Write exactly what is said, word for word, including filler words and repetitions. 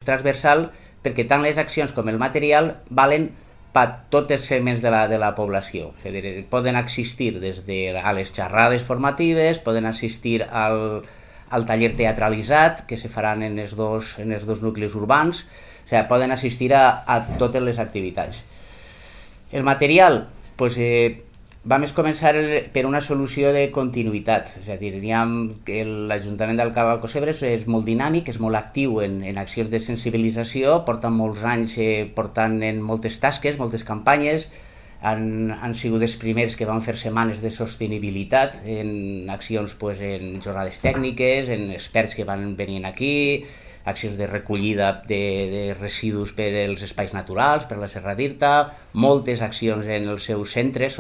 transversal perquè tant les accions com el material valen per tots els segments de la, de la població. És a dir, poden assistir des de a les xerrades formatives, poden assistir al, al taller teatralitzat que se faran en els dos, en els dos nuclis urbans, o sigui, poden assistir a, a totes les activitats. El material, doncs, eh, vam començar per una solució de continuïtat, és a dir, l'Ajuntament d'Alcalá de Alcocebre és molt dinàmic, és molt actiu en, en accions de sensibilització, porten molts anys eh, portant en moltes tasques, moltes campanyes, han, han sigut els primers que van fer setmanes de sostenibilitat en accions pues, en jornades tècniques, en experts que van venint aquí, accions de recollida de, de residus per als espais naturals, per la Serra d'Irta, moltes accions en els seus centres,